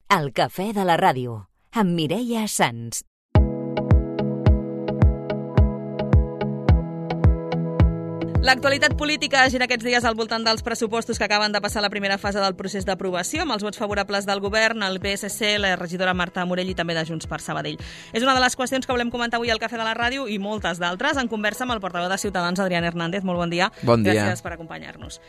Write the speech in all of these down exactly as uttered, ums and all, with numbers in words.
El cafè de la ràdio, amb Mireia Sans. L'actualitat política gira aquests dies al voltant dels pressupostos que acaben de passar la primera fase del procés d'aprovació, amb els vots favorables del govern, el P S C, la regidora Marta Morell i també de Junts per Sabadell. És una de les qüestions que volem comentar avui al Cafè de la Ràdio i moltes d'altres. En conversa amb el portaveu de Ciutadans, Adrián Hernández. Molt bon dia. Bon dia. Gràcies per acompanyar-nos.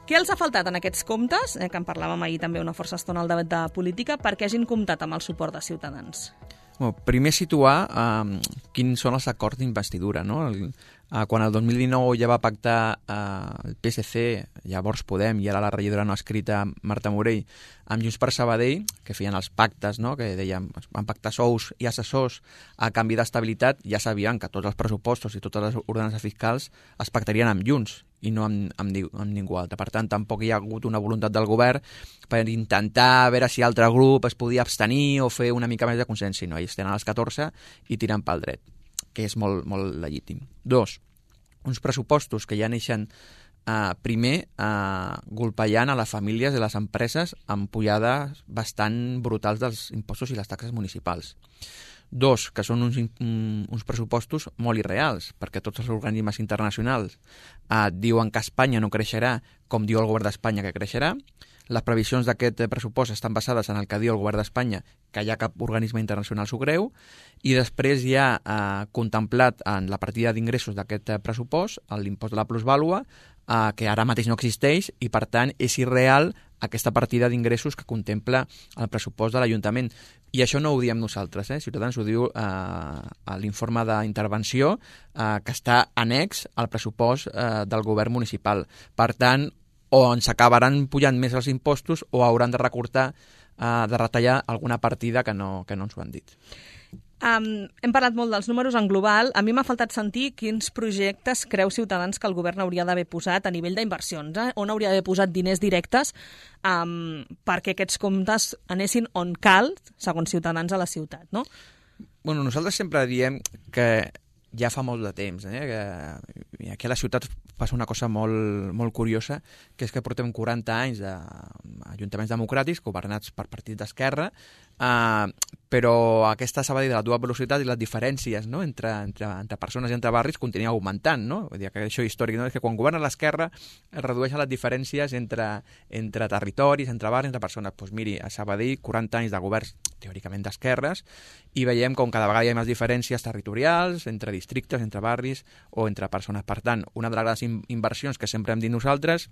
Què els ha faltat en aquests comptes, eh, que en parlàvem ahir també una força estona al debat de política, perquè hagin comptat amb el suport de Ciutadans? Bueno, primer situar eh, quins són els acords d'investidura, no? El, eh, quan el dos mil dinou ja va pactar eh, el P S C, llavors Podem, i ara la regidora no escrita Marta Morell, amb Junts per Sabadell, que feien els pactes, no? Que dèiem, van pactar sous i assessors a canvi d'estabilitat, ja sabien que tots els pressupostos i totes les ordenances fiscals es pactarien amb Junts i no amb, amb, amb ningú altre. Per tant, tampoc hi ha hagut una voluntat del govern per intentar veure si altre grup es podia abstenir o fer una mica més de consens. Si no, ells tenen els catorze i tiren pel dret, que és molt, molt legítim. Dos, uns pressupostos que ja neixen eh, primer eh, golpejant a les famílies i les empreses amb pujades bastant brutals dels impostos i les taxes municipals. Dos, que són uns, uns pressupostos molt irreals, perquè tots els organismes internacionals eh, diuen que Espanya no creixerà com diu el govern d'Espanya que creixerà. Les previsions d'aquest pressupost estan basades en el que diu el govern d'Espanya, que ja cap organisme internacional s'ho creu, i després hi ha eh, contemplat en la partida d'ingressos d'aquest pressupost l'impost de la plusvàlua, eh, que ara mateix no existeix i, per tant, és irreal aquesta partida d'ingressos que contempla el pressupost de l'Ajuntament. I això no ho diem nosaltres, eh? Ciutadans ho diu eh, a l'informe d'intervenció eh, que està annex al pressupost eh, del govern municipal. Per tant, o ens acabaran pujant més els impostos o hauran de recortar, eh, de retallar alguna partida que no, que no ens ho han dit. Um, hem parlat molt dels números en global. A mi m'ha faltat sentir quins projectes creu Ciutadans que el govern hauria d'haver posat a nivell d'inversions, eh? On hauria d'haver posat diners directes um, perquè aquests comptes anessin on cal, segons Ciutadans, a la ciutat, no? Bueno, nosaltres sempre diem que ja fa molt de temps, eh? Que aquí a la ciutat passa una cosa molt, molt curiosa, que és que portem quaranta anys d'ajuntaments democràtics governats per partits d'esquerra, eh, però aquesta Sabadell de la dual velocitat i les diferències, no? entre, entre, entre persones i entre barris continua augmentant, no? Vull dir que això històric, no? És que quan governa l'esquerra es redueixen les diferències entre, entre territoris, entre barris, entre persones. Doncs miri, a Sabadell, quaranta anys de governs teòricament d'esquerres, i veiem com cada vegada hi ha més diferències territorials, entre districtes, entre barris o entre persones. Per tant, una de les grans inversions que sempre hem dit nosaltres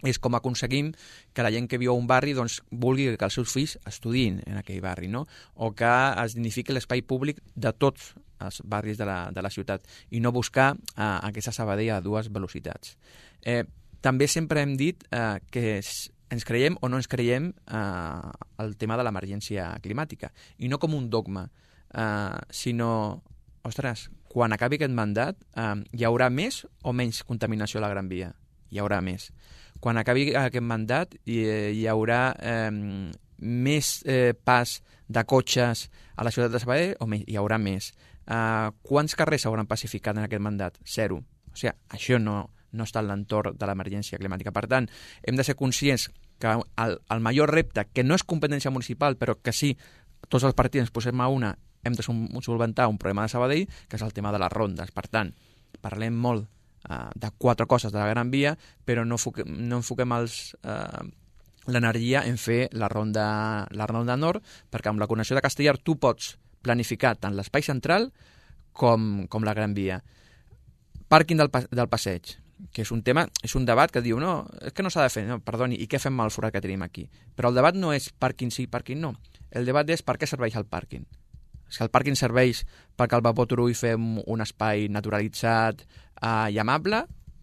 és com aconseguim que la gent que viu a un barri doncs, vulgui que els seus fills estudiïn en aquell barri, no? O que es dignifiqui l'espai públic de tots els barris de la, de la ciutat i no buscar eh, aquesta Sabadell a dues velocitats. Eh, també sempre hem dit eh, que ens creiem o no ens creiem eh, el tema de l'emergència climàtica, i no com un dogma, eh, sinó, ostres, quan acabi aquest mandat eh, hi haurà més o menys contaminació a la Gran Via? Hi haurà més. Quan acabi aquest mandat hi, hi haurà eh, més eh, pas de cotxes a la ciutat de Sabadell o menys? Hi haurà més. Eh, quants carrers s'hauran pacificat en aquest mandat? Zero. O sigui, això no, no està en l'entorn de l'emergència climàtica. Per tant, hem de ser conscients que el, el major repte, que no és competència municipal, però que sí, tots els partits ens posem a una, hem de solventar un problema de Sabadell, que és el tema de les rondes. Per tant, parlem molt uh, de quatre coses de la Gran Via, però no, foque, no enfoquem els, uh, l'energia en fer la ronda, la ronda nord, perquè amb la connexió de Castellar tu pots planificar tant l'espai central com, com la Gran Via. Pàrquing del, del passeig, que és un tema, és un debat que diu, no, és que no s'ha de fer, no, perdoni, i què fem amb el forat que tenim aquí? Però el debat no és pàrquing sí, pàrquing no. El debat és per què serveix el pàrquing. Si el pàrquing serveix perquè al Vapor Turull fem un espai naturalitzat eh, i amable,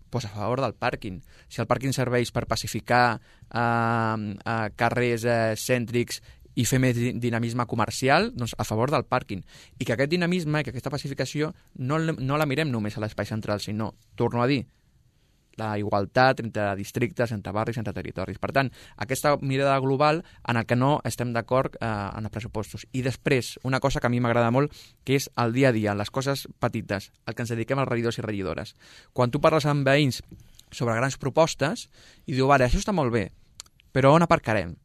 doncs a favor del pàrquing. Si el pàrquing serveix per pacificar eh, eh, carrers eh, cèntrics i fer més dinamisme comercial, doncs a favor del pàrquing. I que aquest dinamisme, que aquesta pacificació, no, no la mirem només a l'espai central, sinó, torno a dir, la igualtat entre districtes, entre barris, entre territoris. Per tant, aquesta mirada global en el que no estem d'acord eh, en els pressupostos. I després, una cosa que a mi m'agrada molt, que és el dia a dia, les coses petites, el que ens dediquem als regidors i regidores. Quan tu parles amb veïns sobre grans propostes i diu, vale, això està molt bé, però on aparcarem?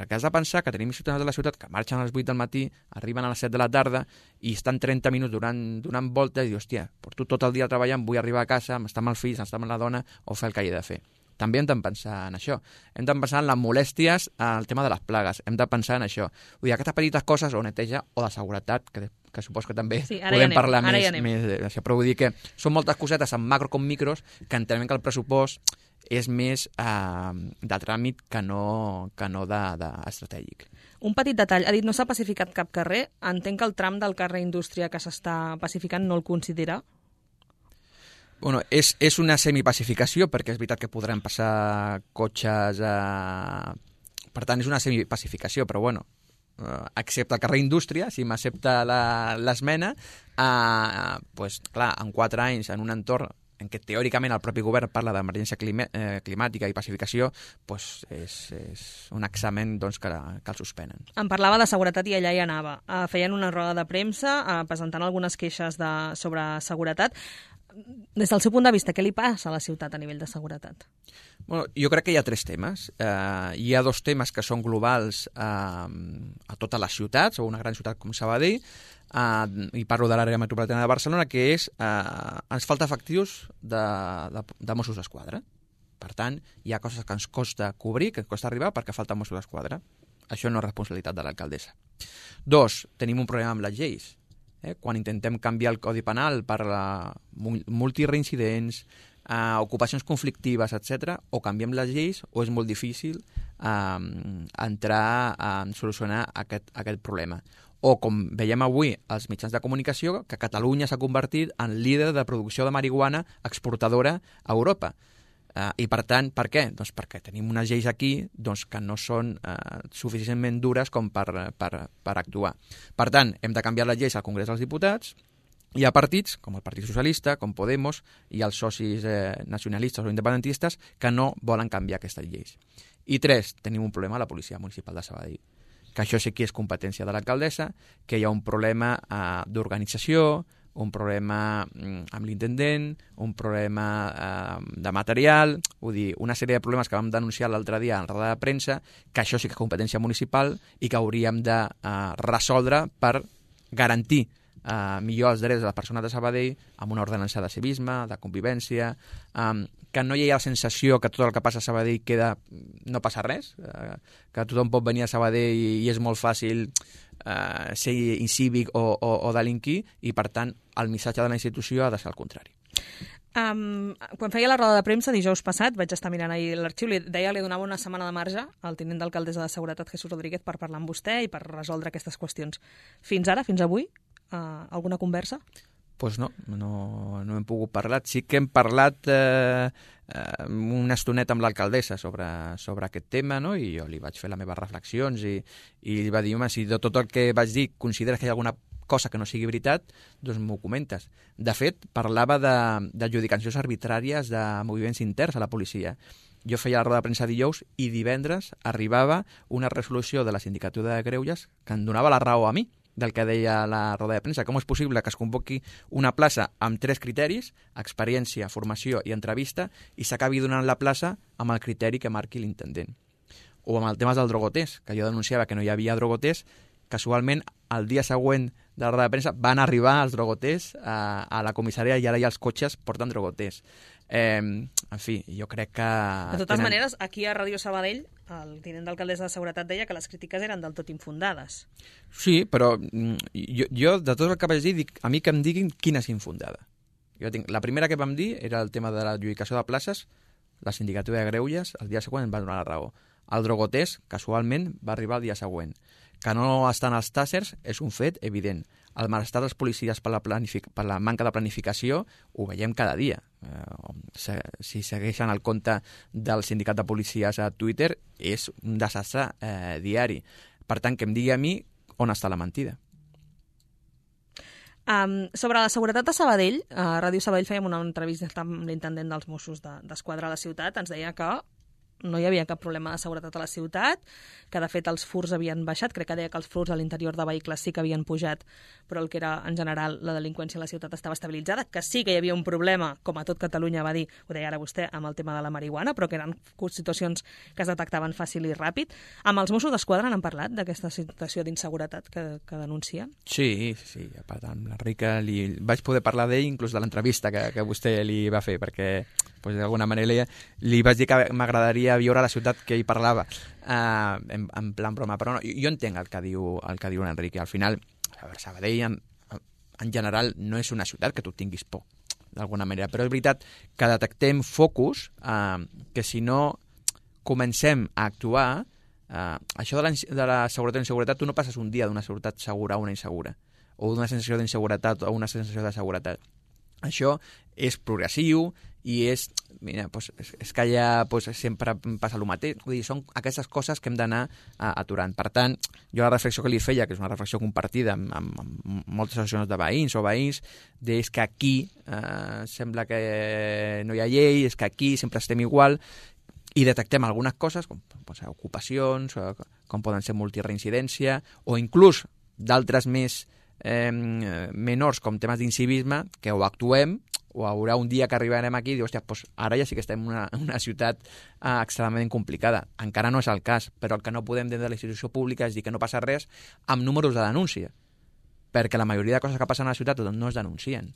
Perquè has de pensar que tenim ciutadans de la ciutat que marxen a les vuit del matí, arriben a les set de la tarda i estan trenta minuts donant, donant voltes i dius, hòstia, porto tot el dia treballant, vull arribar a casa, m'està amb els fills, m'està amb la dona, o fer el que he de fer. També hem de pensar en això. Hem de pensar en les molèsties, en el tema de les plagues. Hem de pensar en això. Vull dir, aquestes petites coses, o neteja, o de seguretat, que, que suposo que també sí, podem parlar més, més d'això. Però vull dir que són moltes cosetes, en macro com micros, que entenem que el pressupost és més eh, de tràmit que no, que no de, de estratègic. Un petit detall. Ha dit, no s'ha pacificat cap carrer. Entenc que el tram del carrer Indústria que s'està pacificant no el considera? Bueno, és, és una semipacificació, perquè és veritat que podran passar cotxes... Eh... Per tant, és una semipacificació, però bueno, eh, excepte el carrer Indústria, si m'accepta l'esmena, eh, pues, clar, en quatre anys, en un entorn en què teòricament el propi govern parla d'emergència eh, climàtica i pacificació, pues és, és un examen doncs, que, que el suspenen. Em parlava de seguretat i allà hi anava. Uh, feien una roda de premsa uh, presentant algunes queixes de, sobre seguretat. Des del seu punt de vista, què li passa a la ciutat a nivell de seguretat? Bueno, jo crec que hi ha tres temes. Uh, hi ha dos temes que són globals uh, a totes les ciutats, o una gran ciutat com Sabadell, Uh, i parlo de l'àrea metropolitana de Barcelona, que és uh, ens falta efectius de, de, de Mossos d'Esquadra. Per tant, hi ha coses que ens costa cobrir, que ens costa arribar perquè falta Mossos d'Esquadra. Això no és responsabilitat de l'alcaldessa. Dos, tenim un problema amb les lleis. Eh? Quan intentem canviar el Codi Penal per la multireincidents, uh, ocupacions conflictives, etcètera, o canviem les lleis o és molt difícil uh, entrar a solucionar aquest, aquest problema. O, com veiem avui als mitjans de comunicació, que Catalunya s'ha convertit en líder de producció de marihuana exportadora a Europa. Uh, I, per tant, per què? Doncs perquè tenim unes lleis aquí doncs, que no són uh, suficientment dures com per, per, per actuar. Per tant, hem de canviar les lleis al Congrés dels Diputats. Hi ha partits, com el Partit Socialista, com Podemos, i els socis eh, nacionalistes o independentistes, que no volen canviar aquestes lleis. I tres, tenim un problema a la Policia Municipal de Sabadell, que això sí que és competència de l'alcaldessa, que hi ha un problema eh, d'organització, un problema mm, amb l'intendent, un problema eh, de material, vull dir, una sèrie de problemes que vam denunciar l'altre dia en la roda de premsa, que això sí que és competència municipal i que hauríem de eh, resoldre per garantir eh, millor els drets de les persones de Sabadell amb una ordenança de civisme, de convivència, eh, que no hi ha la sensació que tot el que passa a Sabadell queda, no passa res, eh, que tothom pot venir a Sabadell i, i és molt fàcil eh, ser incívic o, o, o delinquir, i per tant el missatge de la institució ha de ser el contrari. Um, quan feia la roda de premsa dijous passat, vaig estar mirant ahir l'arxiu, li deia li donava una setmana de marge al tinent d'alcaldessa de Seguretat, Jesús Rodríguez, per parlar amb vostè i per resoldre aquestes qüestions. Fins ara, fins avui, uh, alguna conversa? Doncs pues no, no, no hem pogut parlar. Sí que hem parlat eh, eh, una estoneta amb l'alcaldessa sobre, sobre aquest tema, no? I jo li vaig fer les meves reflexions i, i li va dir, home, si de tot el que vaig dir consideres que hi ha alguna cosa que no sigui veritat, doncs m'ho comentes. De fet, parlava d'adjudicacions arbitràries de moviments interns a la policia. Jo feia la roda de premsa dijous i divendres arribava una resolució de la Sindicatura de Greuges que em donava la raó a mi del que deia la roda de premsa. Com és possible que es convoqui una plaça amb tres criteris, experiència, formació i entrevista, i s'acabi donant la plaça amb el criteri que marqui l'intendent? O amb el tema del drogoters, que jo denunciava que no hi havia drogoters, casualment el dia següent de la roda de premsa van arribar els drogoters a, a la comissaria i ara ja els cotxes porten drogoters. Eh, en fi, jo crec que... De totes tenen... maneres, aquí a Ràdio Sabadell el tinent d'alcaldessa de Seguretat deia que les crítiques eren del tot infundades. Sí, però jo, jo de tot el que vaig dir, dic, a mi que em diguin quina és infundada. Jo tinc, la primera que vam dir era el tema de l'adjudicació de places, la Sindicatura de Greuges el dia següent em va donar la raó. El drogoters, casualment, va arribar el dia següent. Que no estan als tàssers és un fet evident. El malestar dels policies per la, per la manca de planificació ho veiem cada dia. Eh, si segueixen el compte del sindicat de policies a Twitter, és un desastre eh, diari. Per tant, que em digui a mi on està la mentida. Um, sobre la seguretat de Sabadell, a Ràdio Sabadell fèiem una entrevista amb l'intendent dels Mossos d'Esquadra a la ciutat, ens deia que no hi havia cap problema de seguretat a la ciutat, que de fet els furts havien baixat, crec que deia que els furts a l'interior de vehicles sí que havien pujat, però el que era en general la delinqüència a la ciutat estava estabilitzada, que sí que hi havia un problema, com a tot Catalunya va dir, ho deia ara vostè, amb el tema de la marihuana, però que eren situacions que es detectaven fàcil i ràpid. Amb els Mossos d'Esquadra n'han parlat d'aquesta situació d'inseguretat que, que denuncien? Sí, sí, a part amb l'Enric li vaig poder parlar d'ell inclús de l'entrevista que, que vostè li va fer, perquè pues, d'alguna manera li, li vaig dir que m'agradaria viure a la ciutat que ell parlava, uh, en, en plan broma, però no, jo entenc el que diu, el que diu l'Enric. Al final, a veure, Sabadell en, en general no és una ciutat que tu tinguis por, d'alguna manera, però és veritat que detectem focus uh, que si no comencem a actuar, uh, això de la, de la seguretat i inseguretat, tu no passes un dia d'una seguretat segura a una insegura, o d'una sensació d'inseguretat a una sensació de seguretat. Això és progressiu i és, mira, doncs, és que allà doncs, sempre passa el mateix. Vull dir, són aquestes coses que hem d'anar uh, aturant. Per tant, jo la reflexió que li feia, que és una reflexió compartida amb, amb, amb moltes associacions de veïns o veïns, és que aquí uh, sembla que no hi ha llei, és que aquí sempre estem igual, i detectem algunes coses, com pues, ocupacions, o, com poden ser multireincidència, o inclús d'altres més eh, menors, com temes d'incivisme, que o actuem, o haurà un dia que arribarem aquí i diu, hòstia, doncs ara ja sí que estem en una, una ciutat eh, extremadament complicada. Encara no és el cas, però el que no podem dir de la institució pública és dir que no passa res amb números de denúncia, perquè la majoria de coses que passen a la ciutat no es denuncien.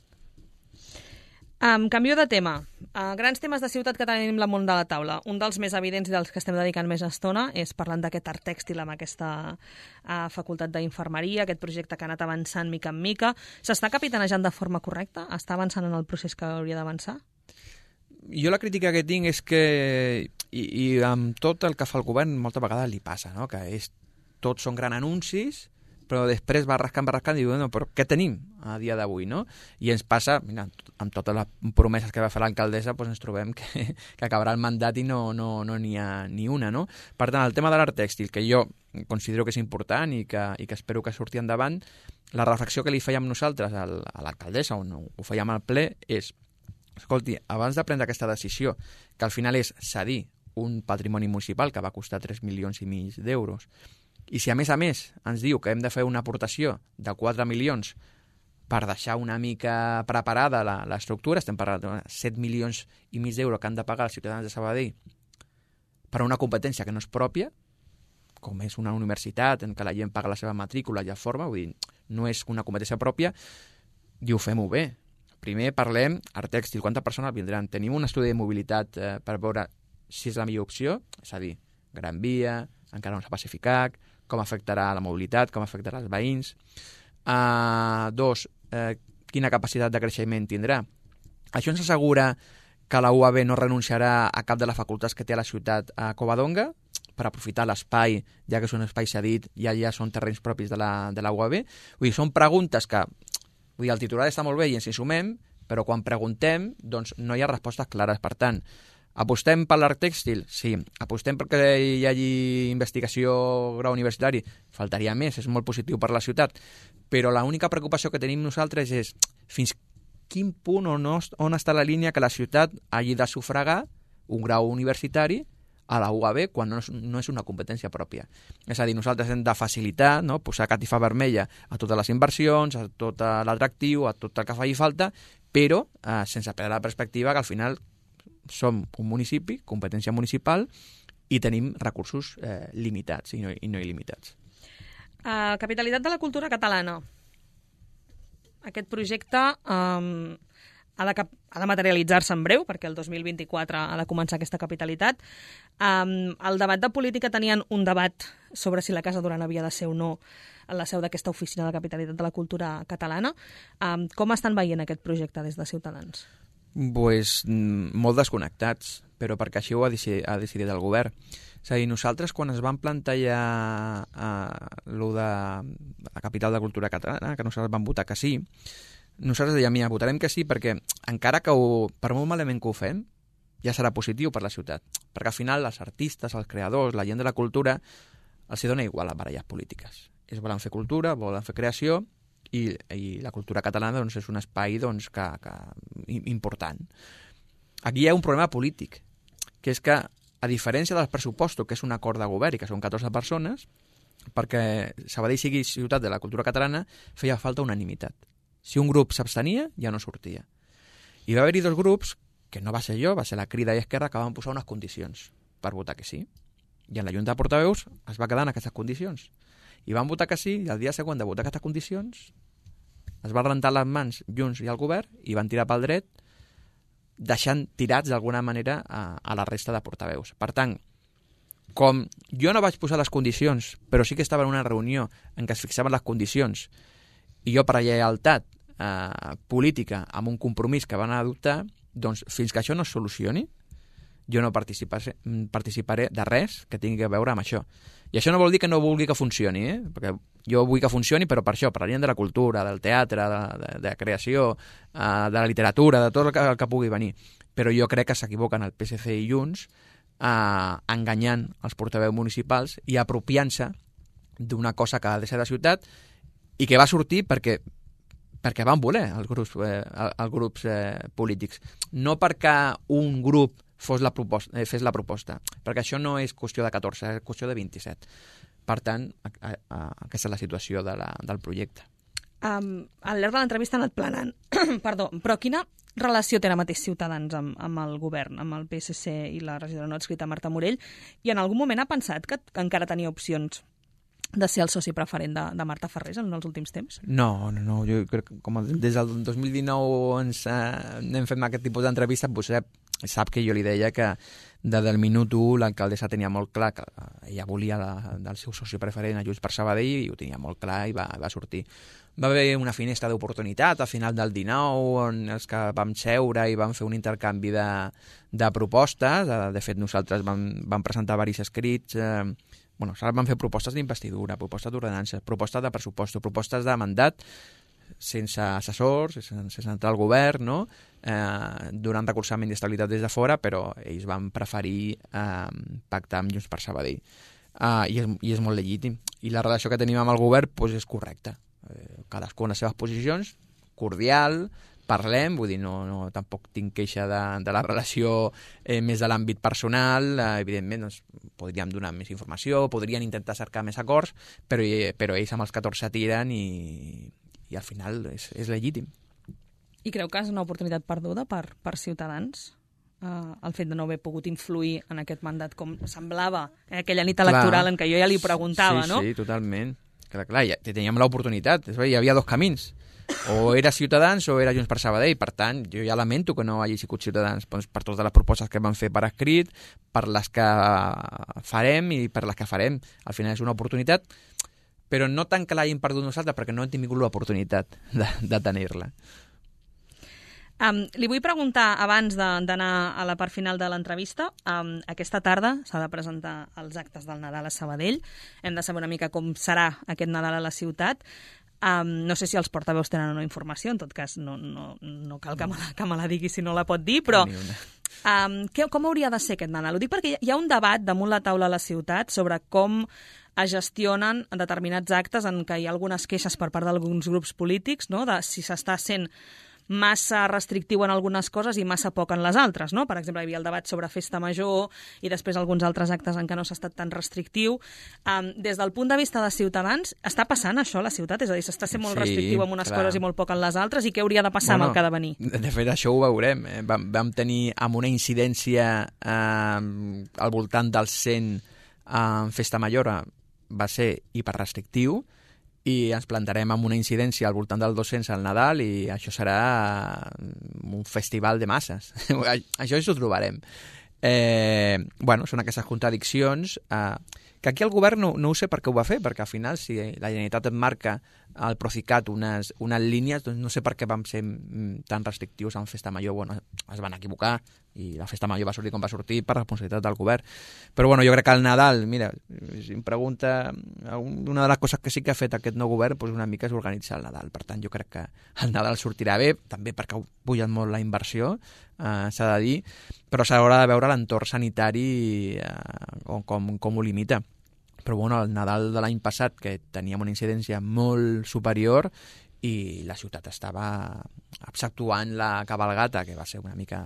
Um, canvio de tema. Uh, grans temes de ciutat que tenim damunt de la taula. Un dels més evidents i dels que estem dedicant més estona és parlant d'aquest art tèxtil amb aquesta uh, facultat d'infermeria, aquest projecte que ha anat avançant mica en mica. S'està capitanejant de forma correcta? Està avançant en el procés que hauria d'avançar? Jo la crítica que tinc és que, i, i amb tot el que fa el govern, molta vegada li passa, no? Que és, tots són grans anuncis, però després va rascant, va rascant i diu, no, però què tenim a dia d'avui, no? I ens passa, mira, amb totes les promeses que va fer l'alcaldessa, doncs ens trobem que, que acabarà el mandat i no n'hi no, no ha ni una, no? Per tant, el tema de l'art tèxtil, que jo considero que és important i que, i que espero que surti endavant, la reflexió que li fèiem nosaltres al, a l'alcaldessa, on ho fèiem al ple, és, escolti, abans de prendre aquesta decisió, que al final és cedir un patrimoni municipal que va costar tres milions i mig d'euros, i si a més a més ens diu que hem de fer una aportació de quatre milions per deixar una mica preparada l'estructura, estem parlant de set milions i mig d'euros que han de pagar els ciutadans de Sabadell per una competència que no és pròpia, com és una universitat en què la gent paga la seva matrícula i ja forma, vull dir, no és una competència pròpia, diu, fem-ho bé. Primer parlem art tèxtil, quantes persones vindran? Tenim un estudi de mobilitat eh, per veure si és la millor opció, és a dir, Gran Via, encara no s'ha pacificat, com afectarà la mobilitat, com afectarà els veïns. Uh, dos, uh, quina capacitat de creixement tindrà. Això ens assegura que la U A B no renunciarà a cap de les facultats que té a la ciutat a Covadonga per aprofitar l'espai, ja que és un espai cedit i allà són terrenys propis de la, de la U A B. Vull dir, són preguntes que, vull dir, el titular està molt bé i ens hi sumem, però quan preguntem, doncs no hi ha respostes clares. Per tant, apostem per l'art tèxtil? Sí. Apostem perquè hi hagi investigació grau universitari? Faltaria més, és molt positiu per la ciutat. Però l'única preocupació que tenim nosaltres és fins quin punt o no, on està la línia que la ciutat hagi de sufragar un grau universitari a la U A B quan no és, no és una competència pròpia. És a dir, nosaltres hem de facilitar, no? Posar catifa vermella a totes les inversions, a tot l'atractiu, a tot el que faci falta, però eh, sense perdre la perspectiva que al final som un municipi, competència municipal, i tenim recursos eh, limitats i no, i no il·limitats. Uh, capitalitat de la cultura catalana. Aquest projecte um, ha de, ha de materialitzar-se en breu, perquè el dos mil vint-i-quatre ha de començar aquesta capitalitat. Um, el debat de política tenien un debat sobre si la Casa Duran havia de ser o no en la seu d'aquesta oficina de capitalitat de la cultura catalana. Um, com estan veient aquest projecte des de Ciutadans? Pues, molt desconnectats, però perquè així ho ha decidit, ha decidit el govern. És a dir, nosaltres quan es van plantejar eh, lo de la capital de cultura catalana, que nosaltres vam votar que sí, nosaltres dèiem, mira, votarem que sí perquè encara que ho, per molt malament que ho fem, ja serà positiu per la ciutat. Perquè al final els artistes, els creadors, la gent de la cultura, els hi dona igual les baralles polítiques. Ells volen fer cultura, volen fer creació, i, i la cultura catalana doncs, és un espai doncs, que, que, important. Aquí hi ha un problema polític, que és que a diferència dels pressupostos, que és un acord de govern i que són catorze persones, perquè Sabadell sigui ciutat de la cultura catalana, feia falta unanimitat. Si un grup s'abstenia, ja no sortia. I va haver-hi dos grups, que no va ser jo, va ser la Crida i Esquerra, que van posar unes condicions per votar que sí. I en la Junta de Portaveus es va quedar en aquestes condicions. I van votar que sí, i el dia següent de votar aquestes condicions es va rentar les mans Junts i el govern i van tirar pel dret, deixant tirats d'alguna manera a, a la resta de portaveus. Per tant, com jo no vaig posar les condicions, però sí que estava en una reunió en què es fixaven les condicions, i jo per lleialtat eh, política amb un compromís que van adoptar, doncs fins que això no es solucioni, jo no participaré, participaré de res que tingui a veure amb això. I això no vol dir que no vulgui que funcioni, eh? Perquè jo vull que funcioni, però per això, per la línia de la cultura, del teatre, de, de, de la creació, eh, de la literatura, de tot el que, el que pugui venir. Però jo crec que s'equivoquen el P S C i Junts eh, enganyant els portaveus municipals i apropiant-se d'una cosa que ha de ser de ciutat i que va sortir perquè perquè van voler els grups, eh, els grups eh, polítics. No perquè un grup fos la proposta, eh, fes la proposta, perquè això no és qüestió de catorze, és qüestió de vint-i-set. Per tant, a, a, a, aquesta és la situació de la, del projecte. Um, al llarg de l'entrevista ha anat planant. Perdó, però quina relació té ara mateix Ciutadans amb, amb el govern, amb el P S C i la regidora no adscrita Marta Morell? I en algun moment ha pensat que, que encara tenia opcions de ser el soci preferent de, de Marta Farrés en els últims temps? No, no, no. Jo crec que com des del dos mil dinou ens eh, hem fet aquest tipus d'entrevistes, vostè sap que jo li deia que des del minut u l'alcaldessa tenia molt clar que ella volia la, del seu soci preferent a Junts per Sabadell i ho tenia molt clar i va, va sortir. Va haver una finestra d'oportunitat al final del dinou on els que vam seure i vam fer un intercanvi de, de propostes. De fet, nosaltres vam, vam presentar diversos escrits. Eh, bueno, vam fer propostes d'investidura, propostes d'ordenança, propostes de pressupost, propostes de mandat sense assessors, sense, sense entrar al govern, no? eh, donant recolzament i estabilitat des de fora, però ells van preferir eh, pactar amb Junts per Sabadell. Uh, i, és, I és molt legítim. I la relació que tenim amb el govern doncs, és correcta. Eh, cadascú en les seves posicions, cordial, parlem, vull dir, no, no tampoc tinc queixa de, de la relació eh, més de l'àmbit personal, eh, evidentment doncs, podríem donar més informació, podrien intentar cercar més acords, però, però ells amb els catorze tiren i, i al final és, és legítim. I creu que és una oportunitat perduda per, per Ciutadans? Uh, el fet de no haver pogut influir en aquest mandat com semblava eh, aquella nit electoral clar, en què jo ja li preguntava, sí, no? Sí, totalment. Clar, clar, ja teníem l'oportunitat. Hi havia dos camins. O era Ciutadans o era Junts per Sabadell. Per tant, jo ja lamento que no hagi sigut Ciutadans doncs, per totes les propostes que van fer per escrit, per les que farem i per les que farem. Al final és una oportunitat, però no tant que l'hagin perdut nosaltres, perquè no hem tingut l'oportunitat de, de tenir-la. Um, li vull preguntar, abans d'anar a la part final de l'entrevista, um, aquesta tarda s'ha de presentar els actes del Nadal a Sabadell. Hem de saber una mica com serà aquest Nadal a la ciutat. Um, no sé si els portaveus tenen o no informació, en tot cas no, no, no cal que me, la, que me la digui si no la pot dir, però um, què, com hauria de ser aquest Nadal? Ho dic perquè hi ha un debat damunt la taula a la ciutat sobre com es gestionen determinats actes en què hi ha algunes queixes per part d'alguns grups polítics, no? De si s'està sent massa restrictiu en algunes coses i massa poc en les altres, no? Per exemple, hi havia el debat sobre festa major i després alguns altres actes en què no s'ha estat tan restrictiu. Um, des del punt de vista de Ciutadans, està passant això a la ciutat? És a dir, s'està sent molt sí, restrictiu en unes clar. coses i molt poc en les altres, i què hauria de passar bueno, amb el que ha de venir? De fet, això ho veurem. Eh? Vam, vam tenir amb una incidència eh, al voltant del cent en eh, festa major, va ser hiperrestrictiu, i ens plantarem amb una incidència al voltant del dos-cents al Nadal i això serà un festival de masses. Això ens ho trobarem. Eh, bueno, són aquestes contradiccions eh, que aquí el govern no, no ho sé per què ho va fer, perquè al final si la Generalitat et marca al Procicat unes, unes línies, doncs no sé per què vam ser tan restrictius en Festa Major. Bueno, es van equivocar i la Festa Major va sortir com va sortir per responsabilitat del govern. Però bueno, jo crec que el Nadal, mira, si em pregunta, una de les coses que sí que ha fet aquest nou govern doncs una mica és organitzar el Nadal. Per tant, jo crec que el Nadal sortirà bé, també perquè ha pujat molt la inversió, eh, s'ha de dir, però s'haurà de veure l'entorn sanitari eh, com, com ho limita. Però bueno, el Nadal de l'any passat, que teníem una incidència molt superior i la ciutat estava, exceptuant la cabalgata, que va ser una mica,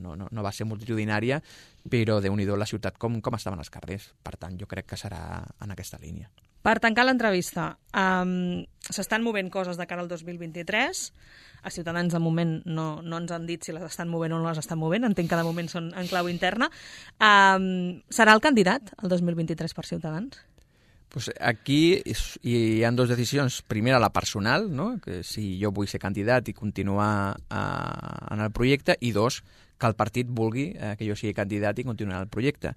no, no, no va ser multitudinària, però déu-n'hi-do la ciutat com, com estaven els carrers. Per tant, jo crec que serà en aquesta línia. Per tancar l'entrevista, um, s'estan movent coses de cara al dos mil vint-i-tres. A Ciutadans, de moment, no, no ens han dit si les estan movent o no les estan movent. Entenc que de moment són en clau interna. Um, serà el candidat el dos mil vint-i-tres per Ciutadans? Pues aquí hi ha dues decisions. Primera, la personal, no? Que si jo vull ser candidat i continuar uh, en el projecte, i dos, que el partit vulgui uh, que jo sigui candidat i continuar el projecte.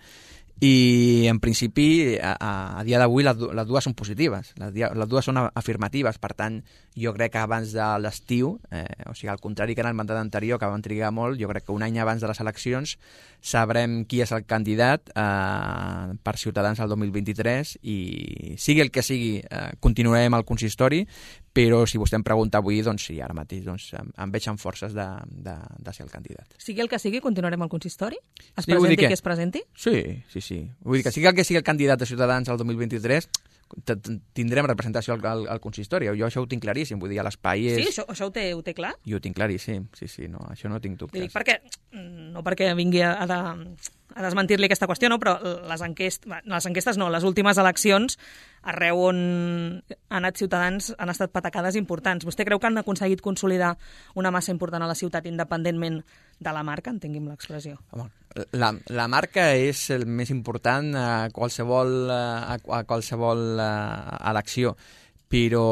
I, en principi, a, a dia d'avui les, les dues són positives, les, les dues són afirmatives, per tant, jo crec que abans de l'estiu, eh, o sigui, al contrari que en el mandat anterior, que van trigar molt, jo crec que un any abans de les eleccions sabrem qui és el candidat eh, per Ciutadans al dos mil vint-i-tres i, sigui el que sigui, eh, continuarem al consistori, però si vostè em pregunta avui, doncs sí, ara mateix doncs, em, em veig amb forces de, de, de ser el candidat. Sigui el que sigui, continuarem al consistori? Es sí, presenti que... qui es presenti? Sí, sí, sí. Vull dir que sigui el que sigui el candidat de Ciutadans al dos mil vint-i-tres, tindrem representació al, al, al consistori. Jo això ho tinc claríssim, vull dir, l'espai és... Sí, això, això ho, té, ho té clar? Jo ho tinc claríssim, sí, sí, no, això no tinc dubtes. Dic perquè, no perquè vingui a, a, de, a desmentir-li aquesta qüestió, no, però les, enquest, les enquestes no, les últimes eleccions, arreu on han anat Ciutadans han estat patacades importants. Vostè creu que han aconseguit consolidar una massa important a la ciutat independentment de la marca, entengui'm l'expressió? Home, la, la marca és el més important a qualsevol, a, a qualsevol a, elecció, però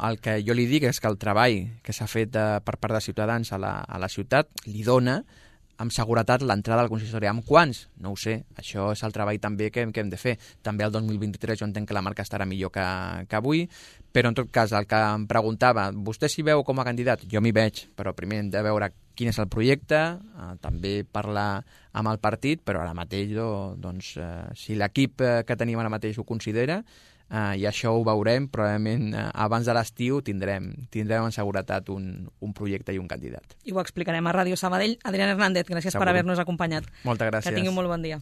el que jo li dic és que el treball que s'ha fet a, per part de Ciutadans a la, a la ciutat li dona amb seguretat l'entrada al consistori. Amb quants? No ho sé. Això és el treball també que, que hem de fer. També el dos mil vint-i-tres jo entenc que la marca estarà millor que, que avui, però en tot cas el que em preguntava, vostè s'hi veu com a candidat? Jo m'hi veig, però primer hem de veure quin és el projecte, eh, també parlar amb el partit, però ara mateix doncs, eh, si l'equip que tenim ara mateix ho considera, Uh, i això ho veurem, probablement uh, abans de l'estiu tindrem, tindrem en seguretat un, un projecte i un candidat. I ho explicarem a Ràdio Sabadell. Adrián Hernández, gràcies Segur. Per haver-nos acompanyat. Moltes gràcies. Que tingui un molt bon dia.